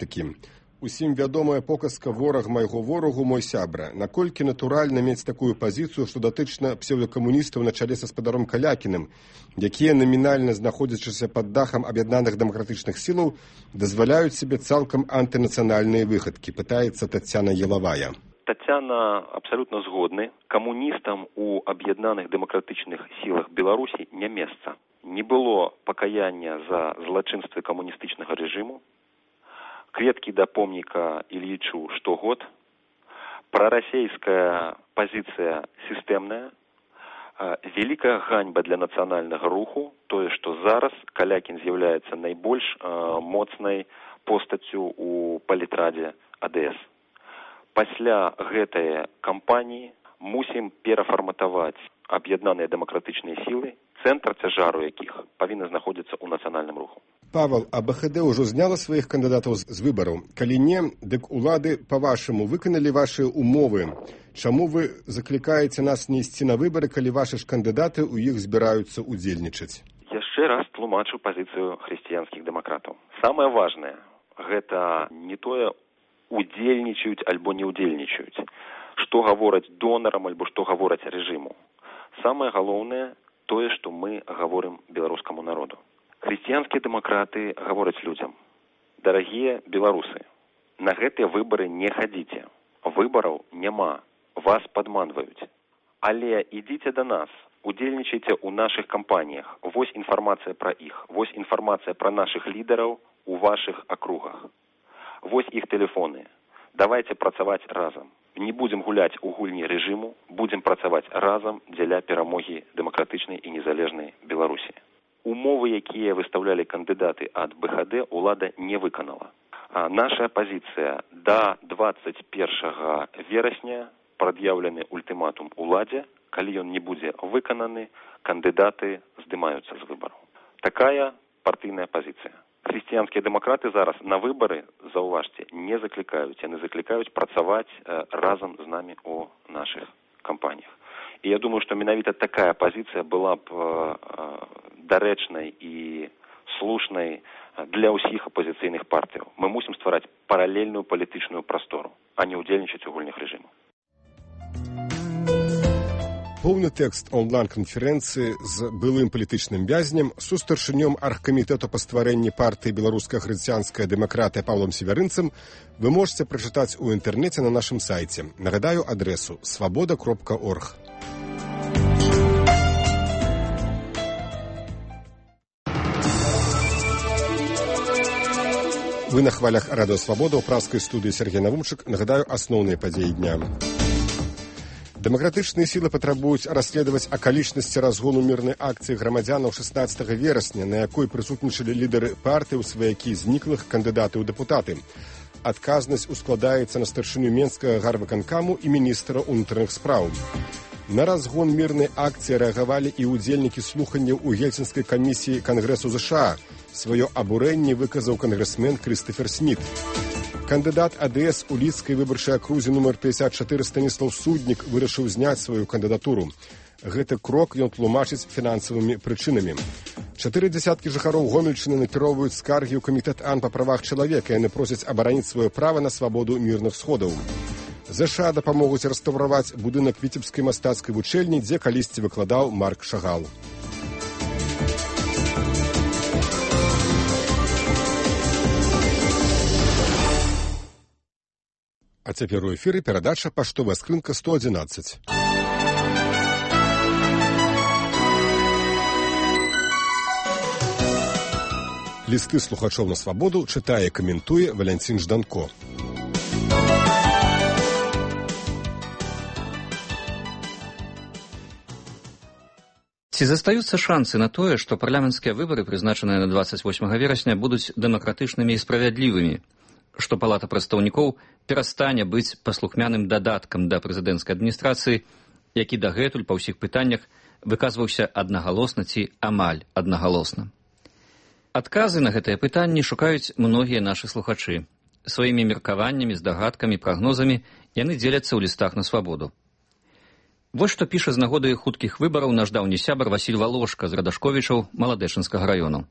палітыкі. Усім вядомая показка «Вораг майго ворагу, мой сябра». Наколькі натуральна мець такую пазіцыю, што датычна псеўдакамуністаў на чале са спадаром Калякіным, якія намінальна знаходзячыся пад дахам аб'яднаных дэмакратычных сілаў, дазваляюць себе цалкам антынацыянальныя выхадкі, пытаецца Тацяна Елавая. Тацяна абсалютна згодны. Камуністам у аб'яднаных дэмакратычных сілах Беларусі не месца. Не было пакаяння за злачынствы камуністычнага рэжыму. Кветкі да помніка Ільічу штогод. Прарасейская пазіцыя сістэмная. Вялікая ганьба для нацыянальнага руху. Тое, што зараз Калякін з'яўляецца найбольш моцнай постаццю у палітрадзе АДС. Пасля гэтай кампаніі мусім перафарматаваць аб'яднаныя дэмакратычныя сілы, цэнтр цяжару якіх павінна знаходзіцца ў нацыянальным руху. Павел, а БХД ўжо зняла сваіх кандыдатаў з выбараў. Калі не, дык улады, па-вашаму, выканалі вашыя умовы. Чаму вы заклікаеце нас не ісці на выбары, калі вашы ж кандыдаты ў іх збіраюцца удзельнічаць? Яшчэ раз тлумачу пазіцыю хрысціянскіх дэмакратаў. Самае важнае, гэта не тое, удзельнічаюць альбо не удзельнічаюць. Што гавораць донарам альбо што гавораць рэжыму. Самае галоўнае тое, што мы гаворым беларускаму народу. Хрысціянскія дэмакраты гавораць людзям: дарагія беларусы, на гэтыя выбары не хадзіце. Выбараў няма, вас падманваюць. Але ідзіце да нас, удзельнічайце ў нашых кампаніях. Вось інфармацыя пра іх, вось інфармацыя пра нашых лідараў у вашых акругах. Вось іх тэлефоны. Давайце працаваць разам. Не будзем гуляць у гульні рэжыму, будзем працаваць разам дзеля перамогі дэмакратычнай і незалежнай Беларусі. Умовы, якія выстаўлялі кандыдаты ад БХД, улада не выканала. Наша пазіцыя: да 21 верасня прад'яўлены ультыматум уладзе. Калі ён не будзе выкананы, кандыдаты здымаюцца з выбараў. Такая партыйная пазіцыя. Хрысціянскія дэмакраты зараз на выбары, заўважце, не заклікаюць. Яны заклікаюць працаваць разам з намі у нашых кампаніях. І я думаю, што менавіта такая пазіцыя была б дарэчнай і слушнай для ўсіх апозіцыйных партыяў. Мы мусім ствараць паралельную палітычную прастору, а не ўдзельнічаць у гульнях рэжыму. Поўны тэкст онлайн-канферэнцыі з былым палітычным вязнем, сустаршынём аргкамітэту па стварэнні партыі «Беларуская хрысціянская дэмакратыя» Паўлам Севярынцам вы можете прачытаць у інтэрнэце на нашым сайце. Нагадаю адресу свабода.орг. Вы на хвалях Радыё Свабода ў празскай студыі Сергей Навумчык. Нагадаю асноўныя падзеі дня. Дэмакратычныя сілы патрабуюць расследаваць акалічнасці разгону мірнай акцыі грамадзянаў 16 верасня, на якой прысутнічалі лідары партыі, сваякі зніклых, кандыдаты ў дэпутаты. Адказнасць ускладаецца на старшыню Менскага гарвыканкаму і міністра ўнутраных спраў. На разгон мірнай акцыі рэагавалі і ўдзельнікі слуханняў у Гельсінскай камісіі Кангрэсу ЗША. Сваё абурэнне выказаў кангрэсмен Крыстафер Сміт. Кандыдат АДС у Лідскай выбарчай акрузе нумар 54 Станіслаў Суднік вырашыў зняць сваю кандыдатуру. Гэты крок ён тлумачыць фінансавымі прычынамі. 4 дзясяткі жыхароў Гомельчыны накіроўваюць скаргі ў камітэт АН па правах чалавека. Яны просяць абараніць сваё права на свабоду мірных сходаў. ЗША дапамогуць рэстаўраваць будынак Віцебскай мастацкай вучэльні, дзе калісьці выкладаў Марк Шагал. А цяпер у эфіры перадача «Паштовая скрынка 111». Лісты слухачоў на свабоду чытае і каментуе Валянцін Жданко. Ці застаюцца шансы на тое, што парламенцкія выбары, прызначаныя на 28 верасня, будуць дэмакратычнымі і справядлівымі, што Палата прадстаўнікоў перастане быць паслухмяным дадаткам да прэзідэнцкай адміністрацыі, які дагэтуль па ўсіх пытаннях выказваўся аднагалосна ці амаль аднагалосна. Адказы на гэтыя пытанні шукаюць многія нашы слухачы. Сваімі меркаваннямі, здагадкамі, прагнозамі яны дзеляцца ў лістах на свабоду. Вось што піша з нагоды хуткіх выбараў наш даўні сябар Васіль Валошка з Радашковічаў Маладэчынскага раёну.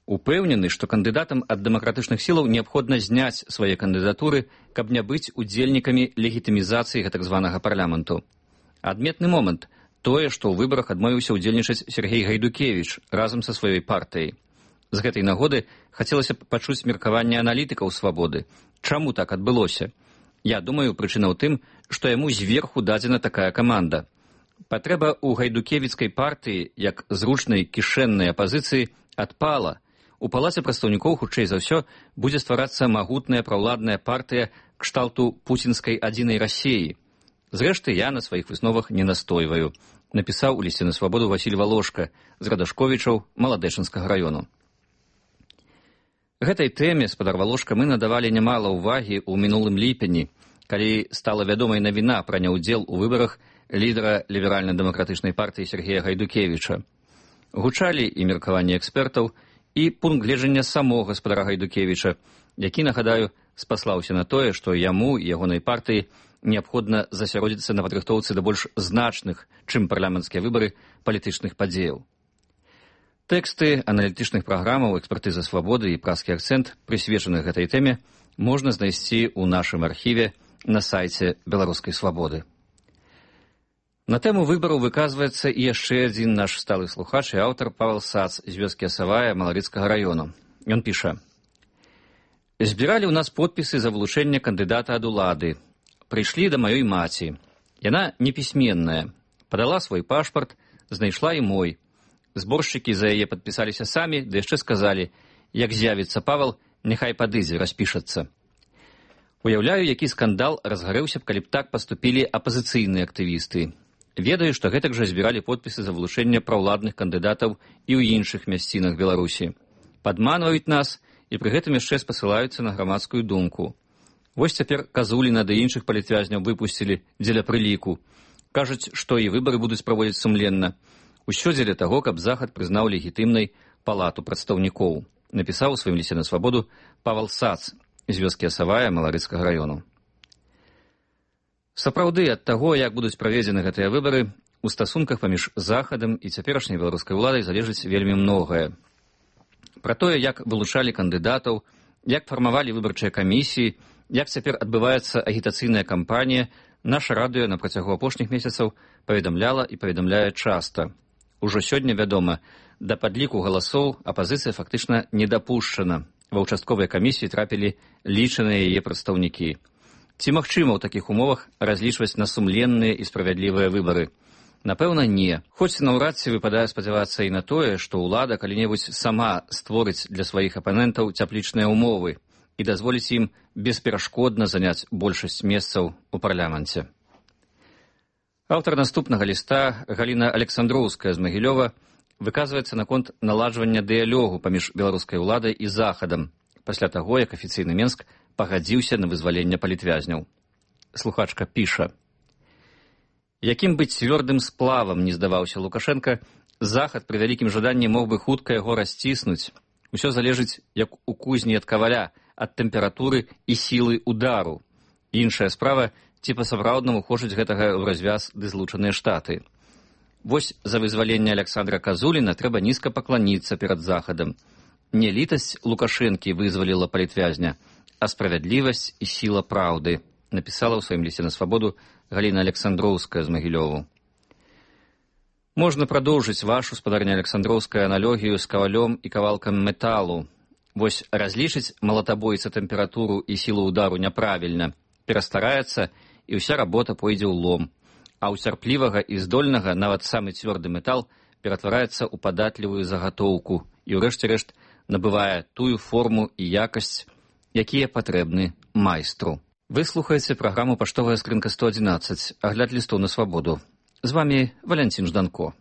Упэўнены, што кандыдатам ад дэмакратычных сілаў неабходна зняць свае кандыдатуры, каб не быць удзельнікамі легітымізацыі гэтак званага парламенту. Адметны момант тое, што ў выбарах адмовіўся ўдзельнічаць Сергей Гайдукевіч разам са сваёй партыяй. З гэтай нагоды хацелася б пачуць меркаванне аналітыкаў «Свабоды». Чаму так адбылося? Я думаю, прычына ў тым, што яму зверху дадзена такая каманда. Патрэба ў гайдукевіцкай партыі, як зручнай кішэннай апазіцыі, адпала. У палаце прадстаўнікоў, хутчэй за ўсё, будзе стварацца магутная праўладная партыя кшталту пуцінскай адзінай Расіі. Зрэшты, я на сваіх высновах не настойваю, напісаў у лісце на «Свабоду» Васіль Валошка з Радашковічаў Маладэчынскага раёну. Гэтай тэме, спадар Валошка, мы надавалі нямала ўвагі ў мінулым ліпені, калі стала вядомай навіна пра няўдзел у выбарах лідара ліберальна-дэмакратычнай партыі Сергея Гайдукевіча. Гучалі і меркаванні экспертаў, і пункт гледжання самога гаспадара Гайдукевіча, які, нагадаю, спаслаўся на тое, што яму і ягонай партыі неабходна засяродзіцца на падрыхтоўцы да больш значных, чым парламенцкія выбары, палітычных падзеяў. Тэксты аналітычных праграмаў «Экспертыза свабоды» і «Праскі акцэнт», прысвечаных гэтай тэме, можна знайсці ў нашым архіве на сайце «Беларускай свабоды». На тэму выбараў выказваецца і яшчэ адзін наш сталы слухач і аўтар Павел Сац з вёскі Асавая Маларыцкага раёну. Ён піша: «Збіралі ў нас подпісы за вылучэнне кандыдата ад улады. Прыйшлі да маёй маці. Яна непісьменная. Падала свой пашпарт, знайшла і мой. Зборшчыкі за яе падпісаліся самі, ды яшчэ сказалі, як з'явіцца Павел, няхай падыдзе, распішацца. Уяўляю, які скандал разгарэўся б, калі б так паступілі апазіцыйныя актывісты. Ведаю, што гэтак жа збіралі подпісы за вылучэнне праўладных кандыдатаў і ў іншых мясцінах Беларусі. Падманваюць нас і пры гэтым яшчэ спасылаюцца на грамадскую думку. Вось цяпер Казуліна ды іншых палітвязняў выпусцілі дзеля прыліку. Кажуць, што і выбары будуць праводзіць сумленна. Усё дзеля таго, каб Захад прызнаў легітымнай палату прадстаўнікоў, напісаў у сваім лісце на «Свабоду» Павел Сац з вёскі Асавая Маларыцкага раёну. Сапраўды, ад таго, як будуць праведзены гэтыя выбары, у стасунках паміж Захадам і цяперашняй беларускай уладай залежыць вельмі многае. Пра тое, як вылучалі кандыдатаў, як фармавалі выбарчыя камісіі, як цяпер адбываецца агітацыйная кампанія, наша радыё на працягу апошніх месяцаў паведамляла і паведамляе часта. Ужо сёння вядома, да падліку галасоў апазіцыя фактычна не дапушчана. Ва ўчастковыя камісіі трапілі лічаныя яе прадстаўнікі. Ці магчыма ў такіх умовах разлічваць на сумленныя і справядлівыя выбары? Напэўна, не. Хоць наўрад ці выпадае спадзявацца і на тое, што ўлада калі-небудзь сама створыць для сваіх апанентаў цяплічныя ўмовы і дазволіць ім бесперашкодна заняць большасць месцаў у парламенце. Аўтар наступнага ліста, Галіна Александроўская з Магілёва, выказваецца наконт наладжвання дыялогу паміж беларускай уладай і Захадам, пасля таго, як афіцыйны Менск пагадзіўся на вызваленне палітвязняў. Слухачка піша: «Якім быць цвёрдым сплавам не здаваўся Лукашенка, Захад пры вялікім жаданні мог бы хутка яго расціснуць. Усё залежыць, як у кузні ад каваля, ад тэмпературы і сілы удару. Іншая справа, ці па-сапраўднаму хочуць гэтага ў развяз ды злучаныя штаты. Вось за вызваленне Александра Казуліна трэба нізка пакланіцца перад Захадам. Не літасць Лукашэнкі вызваліла палітвязня, а справядлівасць і сіла праўды», напісала ў сваім лісце на «Свабоду» Галіна Александроўская з Магілёву. Можна прадоўжыць вашу, спадарня Александроўская, аналогію з кавалём і кавалкам металу. Вось разлічыць малатабойца тэмпературу і сілу удару няправільна, перастараецца, і ўся работа пойдзе ў лом. А ў цярплівага і здольнага нават самы цвёрды метал ператвараецца ў падатлівую загатоўку і, ўрэшце рэшт, набывае тую форму і якасць, якія патрэбны майстру. Вы слухаеце праграму «Паштовая скрынка 111», агляд лістоў на свабоду. З вамі Валянцін Жданко.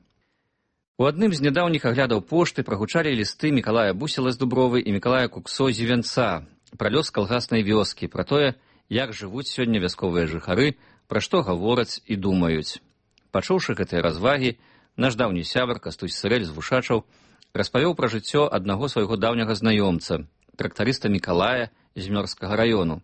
У адным з нядаўніх аглядаў пошты прагучалі лісты Мікалая Бусела з Дубровы і Мікалая Куксо з Івянца пра лёс калгаснай вёскі, пра тое, як жывуць сёння вясковыя жыхары, пра што гавораць і думаюць. Пачуўшы гэтыя развагі, наш даўні сябар Кастусь Сырэль з Вушачаў распавёў пра жыццё аднаго свайго даўняга знаёмца, трактарыста Мікалая з Мёрскага раёну,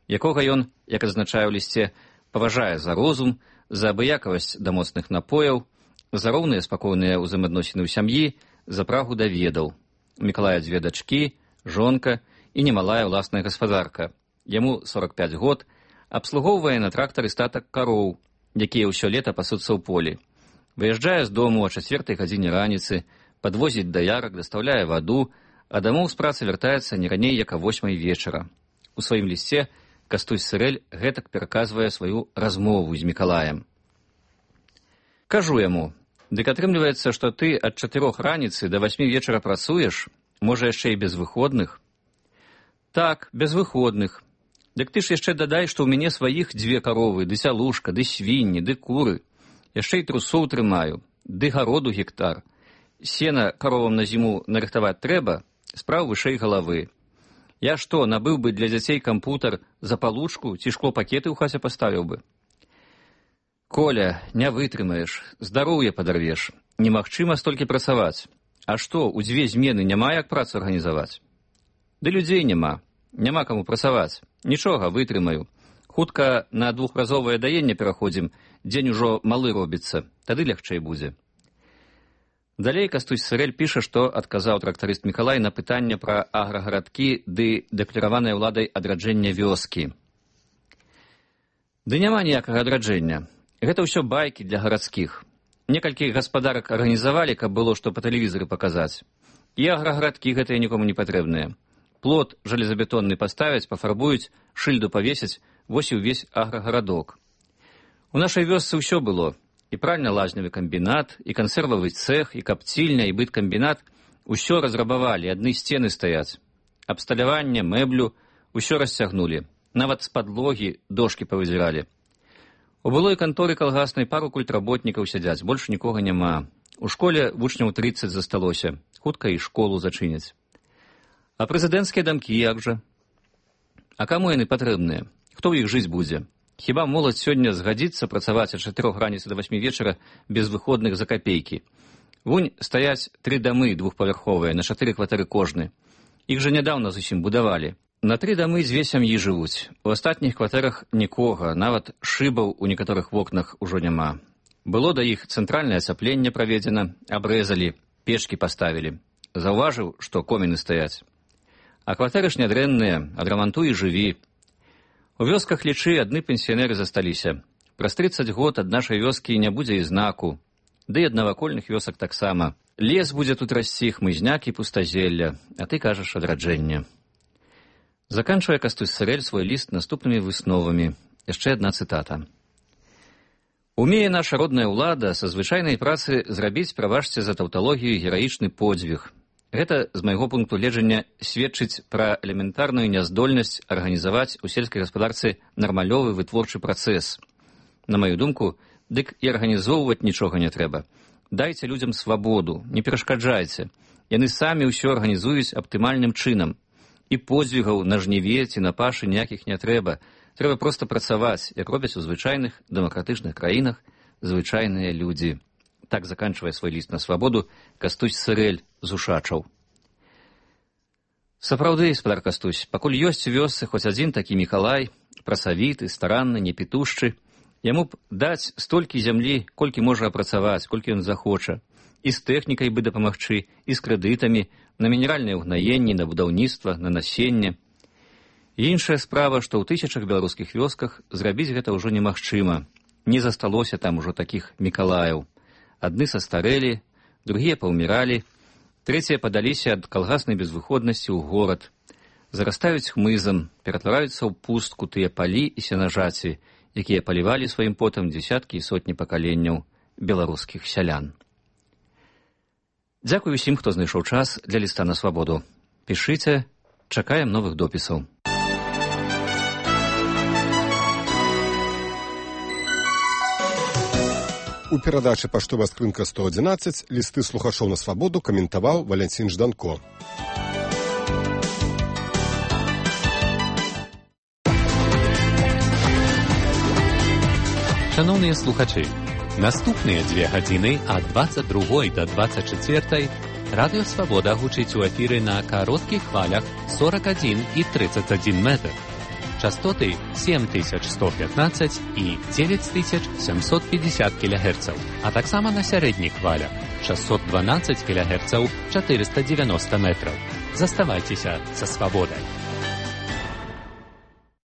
якога ён, як адзначае ў лісце, паважае за розум, за абыякавасць да моцных напояў, за роўныя спакойныя ўзаемаадносіны ў сям'і, за прагу да ведаў. У Мікалая 2 дачкі, жонка і немалая ўласная гаспадарка. Яму 45 год, абслугоўвае на трактары статак кароў, якія ўсё лета пасуцца ў полі. Выязджае з дому о 4 гадзіне раніцы, падвозіць даярак, дастаўляе ваду, а дамоў з працы вяртаецца не раней, як о 8 вечара. У сваім лісце Кастусь Сырэль гэтак пераказвае сваю размову з Мікалаем. Кажу яму: дык атрымліваецца, што ты ад 4 раніцы да 8 вечара працуеш, можа яшчэ і без выходных? Так, без выходных. Дык ты ж яшчэ дадай, што ў мяне сваіх 2 каровы, ды сялушка, ды свінні, ды куры. Яшчэ і трусоў трымаю, ды гароду гектар. Сена каровам на зіму нарыхтаваць трэба, спраў вышэй галавы. Я што, набыў бы для дзяцей кампутар за палучку ці шклопакеты ў хаце паставіў бы? Коля, не вытрымаеш, здароўе падарвеш. Немагчыма столькі працаваць. А што, у 2 змены няма як працу арганізаваць? Ды людзей няма. Няма каму працаваць. Нічога, вытрымаю. Хутка на 2-разовае даенне пераходзім, дзень ужо малы робіцца, тады лягчэй будзе. Далей Кастусь Сырэль піша, што адказаў трактарыст Мікалай на пытанне пра аграгарадкі ды дэклараванае ўладай адраджэння вёскі. Ды няма ніякага адраджэння. Гэта ўсё байкі для гарадскіх. Некалькі гаспадарак арганізавалі, каб было што па тэлевізары паказаць. І аграгарадкі гэтыя нікому не патрэбныя. Плот жалезабетонны паставяць, пафарбуюць, шыльду павесяць, вось і ўвесь аграгарадок. У нашай вёсцы ўсё было. І пральна-лазневы камбінат, і кансервавы цэх, і капцільня, і быткамбінат. Усё разрабавалі, адны сцены стаяць. Абсталяванне, мэблю, усё расцягнулі. Нават з падлогі дошкі павызіралі. У былой канторы калгаснай пару культработнікаў сядзяць, больш нікога няма. У школе вучняў 30 засталося, хутка і школу зачыняць. А прэзідэнцкія дамкі як жа? А каму яны патрэбныя? Хто ў іх жыць будзе? Хіба моладзь сёння згадзіцца працаваць ад 4 раніцы да 8 вечара без выходных за капейкі? Вунь стаяць 3 дамы двухпавярховыя, на 4 кватэры кожны. Іх жа нядаўна зусім будавалі. На 3 дамы 2 сям'і жывуць. У астатніх кватэрах нікога, нават шыбаў у некаторых вокнах ужо няма. Было да іх цэнтральнае ацяпленне праведзена, абрэзалі, печкі паставілі. Заўважыў, што коміны стаяць. А кватэры ж нядрэнныя, адрамантуй і жыві. У вёсках, лічы, адны пенсіянеры засталіся. Праз 30 год ад нашай вёскі не будзе і знаку. Ды і ад навакольных вёсак таксама. Лес будзе тут расці, хмызняк і пустазелля, а ты кажаш адраджэнне. Заканчвае Кастусь Сырэль свой ліст наступнымі высновамі. Яшчэ адна цытата. Умее наша родная ўлада са звычайнай працы зрабіць, прабачце за таўталогію, гераічны подзвіг. Гэта, з майго пункту гледжання, сведчыць пра элементарную няздольнасць арганізаваць у сельскай гаспадарцы нармалёвы вытворчы працэс. На маю думку, дык і арганізоўваць нічога не трэба. Дайце людзям свабоду, не перашкаджайце. Яны самі ўсё арганізуюць аптымальным чынам. І подзвігаў на жніве ці на пашы ніякіх не трэба. Трэба проста працаваць, як робяць у звычайных дэмакратычных краінах звычайныя людзі. Так заканчвае свой ліст на свабоду Кастусь Сырэль з Ушачаў. Сапраўды, спадар Кастусь, пакуль ёсць у вёсцы хоць адзін такі Мікалай, працавіты, старанны, непітушчы, яму б даць столькі зямлі, колькі можа апрацаваць, колькі ён захоча. І з тэхнікай бы дапамагчы, і з крэдытамі, на мінеральныя ўгнаенні, на будаўніцтва, на насенне. І іншая справа, што ў тысячах беларускіх вёсках зрабіць гэта ўжо немагчыма. Не засталося там ужо такіх Мікалаяў. Адны састарэлі, другія паўміралі, трэція падаліся ад калгаснай безвыходнасці ў горад. Зарастаюць хмызам, ператвараюцца ў пустку тыя палі і сенажаці, якія палівалі сваім потам дзесяткі і сотні пакаленняў беларускіх сялян. Дзякуй усім, хто знайшоў час для ліста на свабоду. Пішыце, чакаем новых допісаў. У перадачы «Паштовая скрынка 111» лісты слухачоў на свабоду каментаваў Валянцін Жданко. Шановныя слухачы, наступныя 2 гадзіны ад 22 до 24 Радыё Свабода гучыць у эфіры на кароткіх хвалях 41 і 31 метр. Частоты 7115 і 9750 кГц, а таксама на сярэдніх хвалях 612 кГц 490 метров. Заставайтеся со свободой.